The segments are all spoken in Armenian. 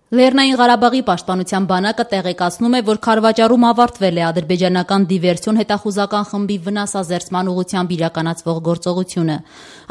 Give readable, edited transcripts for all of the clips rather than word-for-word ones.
Լեռնային Ղարաբաղի պաշտպանության բանակը տեղեկացնում է, որ Քարվաճառում ավարտվել է ադրբեջանական դիվերսիոն հետախուզական խմբի վնասազերծման ուղղությամբ իրականացվող գործողությունը։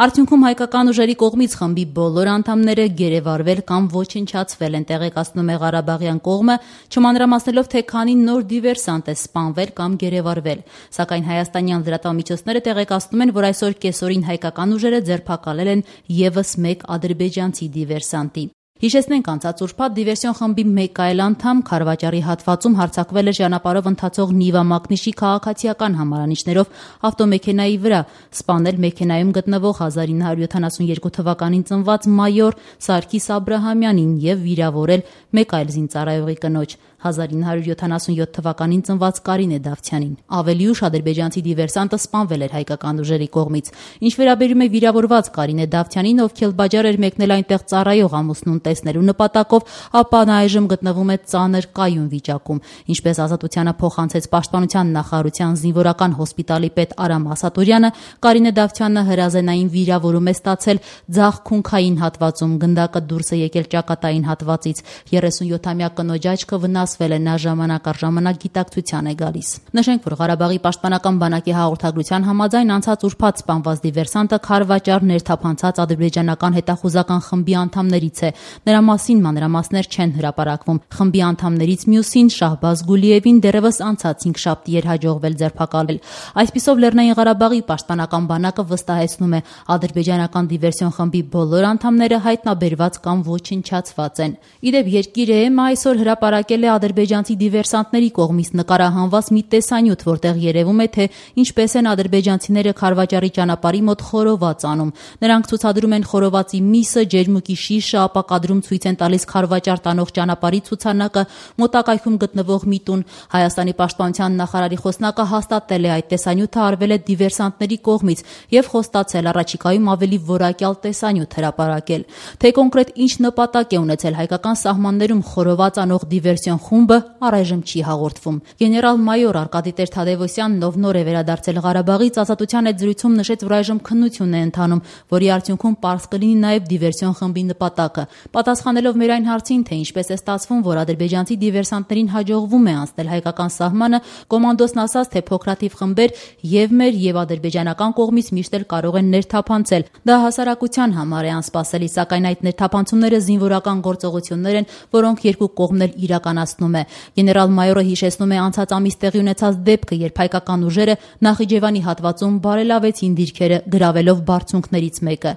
Արդյունքում հայկական ուժերի կողմից խմբի բոլոր անդամները գերեվարվել կամ ոչնչացվել են, տեղեկացնում է ղարաբաղյան կողմը, չմանրամասնելով, թե քանի նոր դիվերսանտ է սպանվել կամ գերեվարվել։ Սակայն հայաստանյան լրատվամիջոցները տեղեկացնում են, որ այսօր կեսօրին հայկական ուժերը ձերբակալել են ևս մեկ ադրբեջանցի դիվերսանտի։ Հիշեցնենք, անցած ուրբաթ դիվերսիոն խմբի մեկ այլ անդամ Քարվաճառի հատվածում հարձակվել է ճանապարհով ընթացող Նիվա Մակնիշի քաղաքացիական համարանիշներով ավտոմեքենայի վրա, սպանել մեքենայում գտնվող 1972 թվականին ծնված մայոր Սարգիս Աբրահամյանին և վիրավորել մեկ այլ զինծառայողի կնոջ 1977 թվականին ծնված Կարինե Դավթյանին։ Ավելի ուշ ադրբեջանցի դիվերսանտը սպանվել էր հայկական ուժերի կողմից։ Ինչ վերաբերում է վիրավորված Կարինե Դավթյանին, ով Քելբաջար էր մեկնել այնտեղ ծառայող ամուսնուն տեսնելու նպատակով, ապա նա այժմ գտնվում է ծանր կայուն վիճակում։ Ինչպես Ազատությանը փոխանցեց Պաշտպանության նախարարության զինվորական հոսպիտալի պետ Արամ Ասատուրյանը, Կարինե Դավթյանը հրազենային վիրավորում է ստացել ձախ քունքային հատվածում, գնդակը դուրս է եկել ճակատային հատվածից։ 37-ամյա կնոջ աչքը վնասվել է, նա ժամանակ առ ժամանակ գիտակցության է գալիս։ Նշենք, որ Ղարաբաղի պաշտպանական բանակի հաղորդագրության համաձայն անցած ուրբաթ սպանված դիվերսանտը Քարվաճառ ներթափանցած ադրբեջանական հետախուզական խմբի անդամներից է։ Նրա մասին մանրամասներ չեն հրապարակվում։ Խմբի անդամներից մյուսին Շահբազ Գուլիևին դեռևս անցած 5 շաբթի էր հաջողվել ձերբակալել։ Այսպիսով Լեռնային Ղարաբաղի պաշտպանական բանակը վստահեցնում է, ադրբեջանական դիվերսիոն խմբի բոլոր անդամները հայտնաբերված կամ ոչնչացված են։ Իդեպ Երկիր.am այսօր հրապարակել է ադրբեջանցի դիվերսանտների կողմից նկարահանված մի տեսանյութ, որտեղ երևում է, թե ինչպես են ադրբեջանցիները Քարվաճառի ճանապարհի մոտ խորոված անում։ Նրանք ցուցադրում են խորովածի միսը, ջերմուկի շիշը, ապա կադրում ցույց են տալիս Քարվաճառ տանող ճանապարհի ցուցանակը, մոտակայքում գտնվող մի տուն։ Հայաստանի պաշտպանության նախարարի խոսնակը հաստատել է, այդ տեսանյութը արվել է դիվերսանտների կողմից եւ խոստացել առաջիկայում ավելի որակյալ տեսանյութ հրապարակել։ Թե կոնկրետ ինչ նպատակ է ունեցել հայկական սահմաններում խորոված անող դիվերսիոն խումբը, առայժմ չի հաղորդվում։ Գեներալ-մայոր Արկադի Տեր-Թադևոսյանն, ով նոր է վերադարձել Ղարաբաղից, Ազատության հետ զրույցում նշեց, որ այժմ քննություն է ընթանում, որի արդյունքում պարզ կլինի նաև դիվերսիոն խմբի նպատակը։ Պատասխանելով մեր այն հարցին, թե ինչպես է ստացվում, որ ադրբեջանցի դիվերսանտներին հաջողվում է անցնել հայկական սահմանը, կոմանդոսն ասաց, թե փոքրաթիվ խմբեր եւ մեր եւ ադրբեջանական կողմից միշտ էլ կարող են ներթափանցել։ Դա հասարակության համար է անսպասելի, սակայն այդ ներթափանցումները զինվորական գործողություններ են, որոնք երկու կողմն էլ իրականացնում է։ Գեներալ-մայորը հիշեցնում է անցած ամիս տեղի ունեցած դեպքը, երբ հայկական ուժերը Նախիջևանի հատվածում բարելավեցին դիրքերը, գրավելով բարձունքներից մեկը։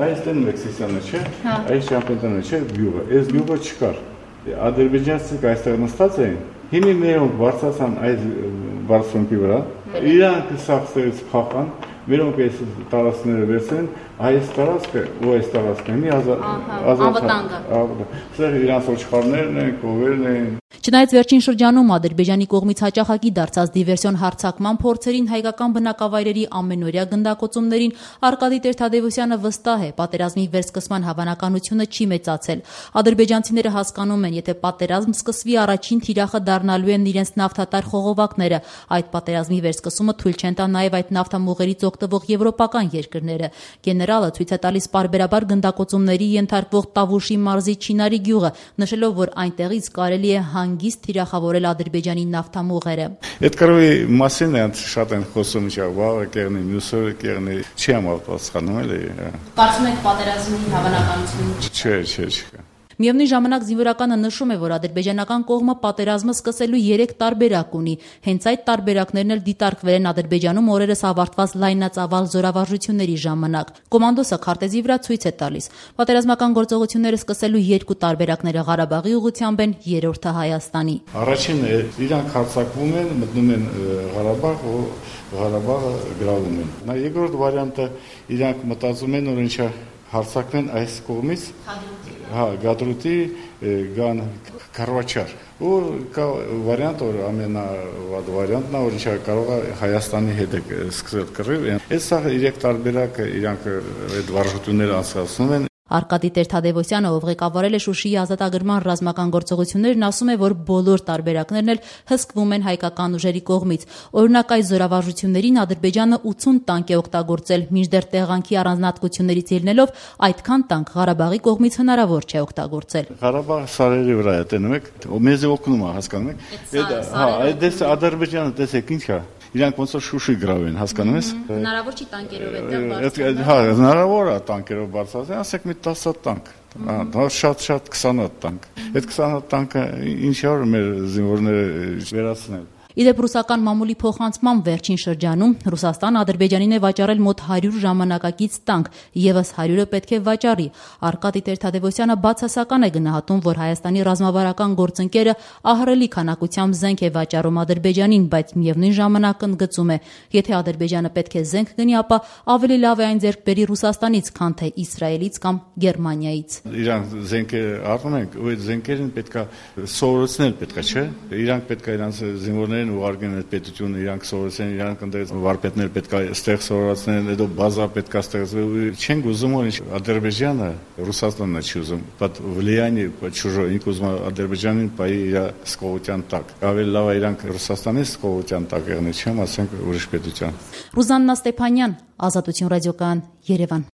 Այս տեն Մեքսիսյանը չէ, այս ճամպետանը չէ, գյուղը, այս գյուղը չկար։ Ադրբեջանցիք այստեղ նստած էին, հիմի մերոնք բարձրացան այս բարձունքի վրա, իրանք սաղցերից փախան, մերոնք այս տարածքները վերցրին, այս տարածքը ու այս տարածքն է անվտանգը։ Սա իրանց ոչխարներն են, կովերն են։ Չնայած վերջին շրջանում Ադրբեջանի կողմից հաճախակի դարձած դիվերսիոն հարձակման փորձերին, հայկական բնակավայրերի ամենօրյա գնդակոծումներին, Արկադի Տեր-Թադևոսյանը վստահ է, պատերազմի վերսկսման հավանականությունը չի մեծացել։ Ադրբեջանցիները հասկանում են, եթե պատերազմ սկսվի, առաջին թիրախը դառնալու են իրենց նավթատար խողովակները։ Այդ պատերազմի վերսկսումը թույլ չեն տա նաև այդ նավթամուղերից օգտվող եվրոպական երկրները։ Գեներալը ցույց է տալիս պարբերաբար գնդակոծումների ենթարկվող Տավուշի մարզի Չինարի գյուղը, նշելով, որ այնտեղից կարելի է հանգիստ թիրախավորել Ադրբեջանի նավթամուղերը։ Այդ կրոյի մասին են շատ են խոսում, վաղը կեղնի, մյուսը կեղնի, չի համապատասխանում էլի։ Կարծում եք պատերազմի հավանականություն Չէ։ Միևնույն ժամանակ զինվորականը նշում է, որ ադրբեջանական կողմը պատերազմը սկսելու 3 տարբերակ ունի։ Հենց այդ տարբերակներն էլ դիտարկվել են Ադրբեջանում օրերս ավարտված լայնածավալ զորավարժությունների ժամանակ։ Կոմանդոսը քարտեզի վրա ցույց է տալիս։ Պատերազմական գործողությունները սկսելու 2 տարբերակները Ղարաբաղի ուղղությամբ են, երրորդը Հայաստանի։ Առաջինը իրանք հարձակվում են, մտնում են Ղարաբաղ, Ղարաբաղը գրավում են։ Նա երկրորդ վարիանտը իրանք մտածում են, որ ինչա հարձակվեն այս կողմից, Գադրուտի գան Քարվաճար։ Ու կա վարիանտ, որ ամենավատ վարիանտն է, որ ինչա կարող է Հայաստանի հետ սկսել կռիվ։ Այս սա 3 տարբերակը իրանք այդ վարժությունները անցկացնում են։ Արկադի Տեր-Թադևոսյանը, ով ղեկավարել է Շուշիի ազատագրման ռազմական գործողություններն, ասում է, որ բոլոր տարբերակներն էլ հսկվում են հայկական ուժերի կողմից։ Օրինակ, այս զորավարժություններին Ադրբեջանը 80 տանկ է օգտագործել, մինչդեռ տեղանքի առանձնահատկություններից ելնելով այդքան տանկ Ղարաբաղի կողմից հնարավոր չէ օգտագործել։ Ղարաբաղը սարերի վրա է, տենում եք, մեզ օգնում է, հասկանում եք։ Այդ Ադրբեջանը տեսեք ինչ է։ Իրանք ոնց որ Շուշի գրավում են, հասկանում ես։ Հնարավոր չի տանկերով այդտեղ Հա, հնարավոր է տանկերով բարձրացնել, ասեք մի 10 տանկ։ Դա շատ 20 տանկ։ Այդ 20 տանկը ինչ որ մեր զինվորները վերացնել։ Իդեպ ռուսական մամուլի փոխանցման վերջին շրջանում Ռուսաստանը Ադրբեջանին է վաճառել մոտ 100 ժամանակակից տանկ, եւս 100-ը պետք է վաճառի։ Արկադի Տեր-Թադևոսյանը բացասական է գնահատում, որ Հայաստանի ռազմավարական գործընկերը ահռելի քանակությամբ զենք է վաճառում Ադրբեջանին, բայց միևնույն ժամանակ ընդգծում է, եթե Ադրբեջանը պետք է զենք գնի, ապա ավելի լավ է այն ձեռք բերի Ռուսաստանից, քան թե Իսրայելից կամ Գերմանիայից։ Իրանք զենք առնում են, ու այդ զենքերին պետքա սովորեցնել, պետքա, չէ՞։ Իրանք պետքա իրանք զինվորները ուղարկեն այդ պետությունը, իրանք սովորեցեն, իրանք ընդդեմ վարպետներ պետքա ստեղ սովորացնեն, հետո բազա պետքա ստեղծել։ Չենք ուզում, որ Ադրբեջանը, Ռուսաստանն չի ուզում, բայց влияние чужое, ինք ուզում Ադրբեջանին բայ իր սկողության տակ։ Ավելի լավ է իրանք Ռուսաստանի սկողության տակ եղնի, չեմ ասենք ուրիշ պետության։ Ռուզաննա Ստեփանյան, Ազատություն ռադիոկայան, Երևան։